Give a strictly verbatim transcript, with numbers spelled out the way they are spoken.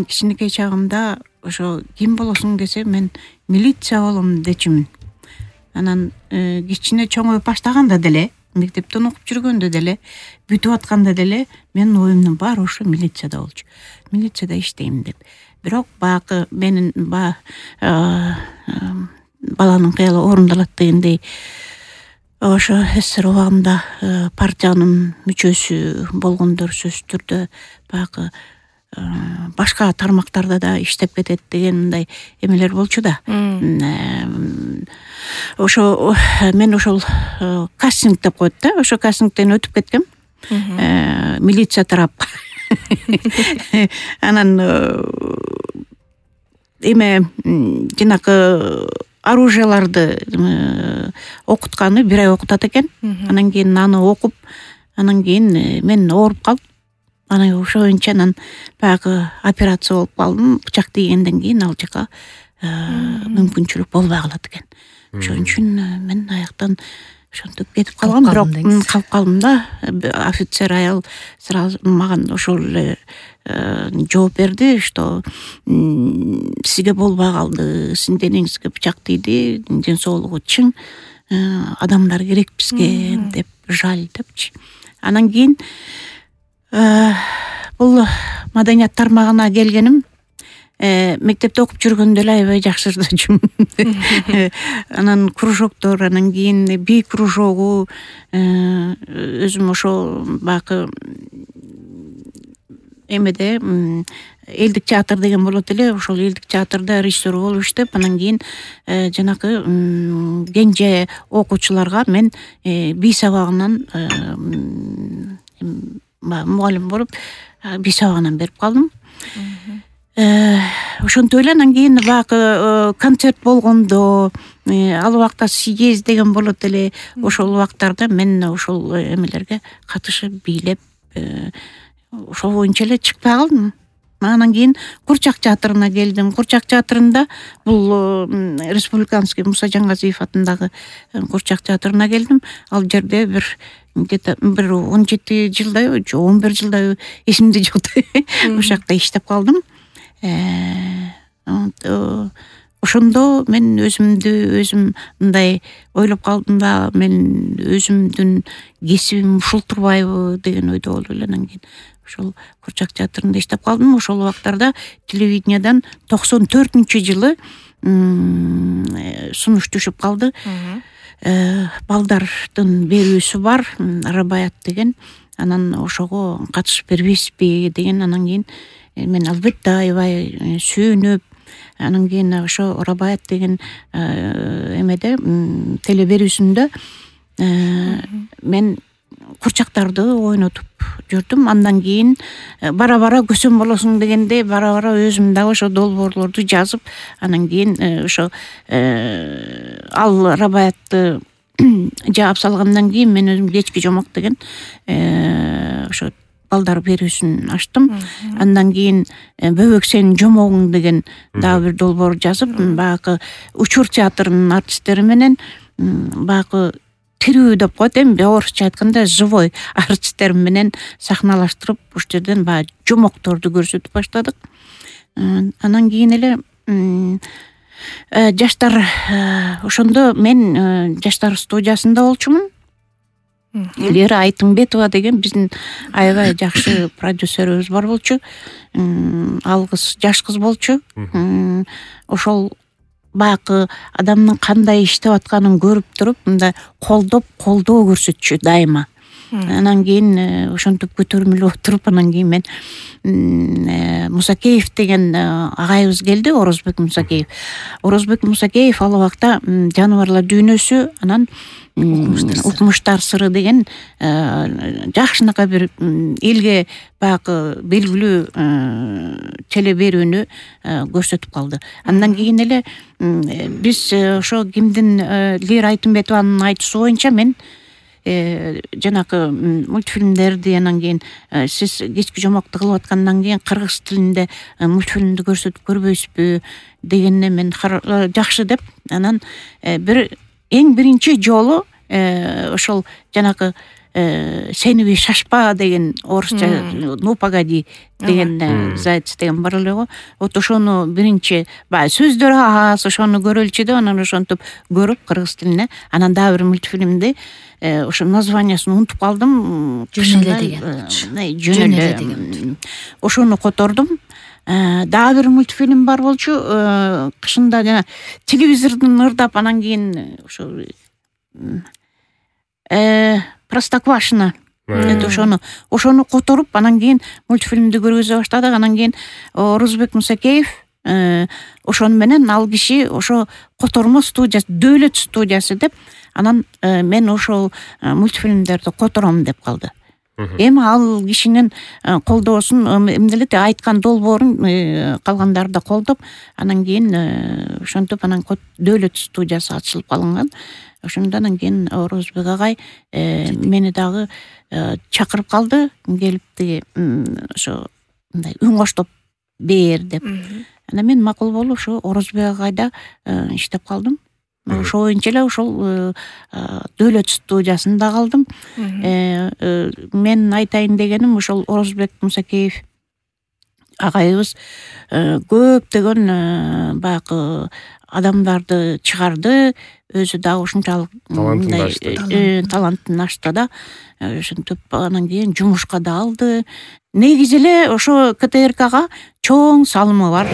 мен кичинекей чагымда ошо ким болосуң десе мен милиция болом дечимин. Анан кичине чоңоюп баштаганда деле, мектептен окуп жүргөндө деле, бүтүп атканда деле менин оюмдун баары ошо милицияда болчу. Милицияда иштейм деп. Бирок баягы менин баланын кыялы орундалат дегендей ошо СССР убагында партиянын мүчөсү болгондор сөзсүз түрдө баягы башка тармактарда да иштеп кетет деген мындай эмелер болчу да. Ошо мен ошол кастинг деп коет да, ошо кастингден өтүп кеткем. Милиция тарапка. Анан эме жанакы оружияларды окутканы бир ай окутат экен. Анан кийин аны окуп, анан кийин мен ооруп калып, анан ошо боюнча анан баягы операция болуп калдым. Бычак тийгенден кийин ал жака мүмкүнчүлүк болбой калат экен. Ошон үчүн мен аяктан ошентип кетип калгам, бирок калып калдым да. Офицер аял сразу мага ошол эле жооп берди, что сизге болбой калды, сиздин денеңизге бычак тийди, ден соолугу чың, адамдар керек бизге деп, жаль депчи. Анан кийин бул маданият тармагына келгеним мектепте окуп жүргөндө эле аябай жакшы ырдачумун. Анан кружоктор, анан кийин би кружогу, өзүм ошо баягы эмеде элдик театр деген болот эле, ошол элдик театрда режиссер болуп иштеп, анан кийин жанакы кенже окуучуларга мен би сабагынан мугалим болуп би сабагынан берип калдым. Ошентип эле анан кийин баягы концерт болгондо, ал убакта съезд деген болот эле, ошол убактарда мен ошол эмелерге катышып бийлеп, ошол боюнча эле чыкпай калдым. Анан кийин Курчак театрына келдим. Курчак театрында бул республиканский Муса Жангазиев атындагы Курчак театрына келдим. Ал жерде бир где-то бир он жети жылдай, же он бир жылдай эсимде жок. Ошол жакта иштеп калдым. Ошондо мен өзүмдү өзүм мындай ойлоп калдым да, мен өзүмдүн кесибим ушул турбайбы деген ойдо болуп эле анан кийин ошол Курчак театрында иштеп калдым. Ошол убактарда телевидениядан токсон төртүнчү жылы сунуш түшүп калды. Балдардын берүүсү бар, Рабаят деген. Анан ошого катышып бербейсизби деген. Анан кийин мен албетте аябай сүйүнүп, анан кийин ошо Рабаят деген эмеде теле берүүсүндө мен курчактарды ойнотуп жүрдүм. Андан кийин бара-бара көсөм болосуң дегенде бара-бара өзүм дагы ошо долбоорлорду жазып, анан кийин ошо ал Рабаятты жаап салгандан кийин мен өзүм кечки жомок деген ошо балдар берүүсүн ачтым. Андан кийин Бөбөк сенин жомогуң деген дагы бир долбоор жазып, баягы Учур театрынын артисттери менен баягы тирүү деп коет, эми орусча айтканда живой артисттер менен сахналаштырып, ушул жерден баягы жомокторду көрсөтүп баштадык. Анан кийин эле жаштар, ошондо мен жаштар студиясында болчумун. Лера Айтымбетова деген биздин аябай жакшы продюсерибиз бар болчу. Ал кыз жаш кыз болчу. Ошол баягы адамдын кандай иштеп атканын көрүп туруп, мындай колдоп, колдоо көрсөтчү дайыма. Анан кийин ошентип көтөрүмүлүп отуруп, анан кийин мен Мусакеев деген агайыбыз келди, Орозбек Мусакеев. Орозбек Мусакеев ал убакта жаныбарлар дүйнөсү, анан Укмуштар сыры деген жакшынакай бир элге баягы белгилүү теле берүүнү көрсөтүп калды. Андан кийин эле биз ошо кимдин Лера Айтымбетованын айтуусу боюнча мен жанакы мультфильмдерди, анан кийин сиз кечки жомокту кылып аткандан кийин кыргыз тилинде мультфильмди көрсөтүп көрбөйсүзбү дегенне мен жакшы деп, анан бир эң биринчи жолу ошол жанакы сени шашпа деген орусча ну погоди деген заяц деген бар эле го. Вот ошону биринчи баягы сөздөрү аз, ошону көрөлүчү деп анан ошентип көрүп кыргыз тилине. Анан дагы бир мультфильмди ошо названиясын унутуп калдым. Жөн эле деген. Жөн эле деген. Ошону котордум. Дагы бир мультфильм бар болчу. Кышында жана телевизордун ырдап анан кийин ошо э Простоквашино. Ошону ошону которуп анан кийин мультфильмди көргүзө баштадык. Анан кийин Орузбек Мусакеев ошону менен ал киши ошо котормо студиясы, Дөөлөт студиясы деп анан мен ошол мультфильмдерди котором деп калды. Эми ал кишинин колдоосун эмне эле айткан долбоорун калгандары да колдоп, анан кийин ошентип анан Дөөлөт студиясы ачылып калынган. Ошондон кийин Орузбек агай мени дагы чакырып калды, келип тиги ошо мындай үн коштоп бээр деп. Анан мен макул болуп ошо Орузбек агайда иштеп калдым. Ошо боюнча эле ошол Дөөлөт студиясында калдым. Мен айтайын дегеним ошол Орузбек Мусакеев агайыбыз көптөгөн баягы адамдарды чыгарды, өзү дагы ушунчалык талантын ачты да. Ошентип анан кийин жумушка да алды. Негизи эле ошо КТРКга чоң салымы бар.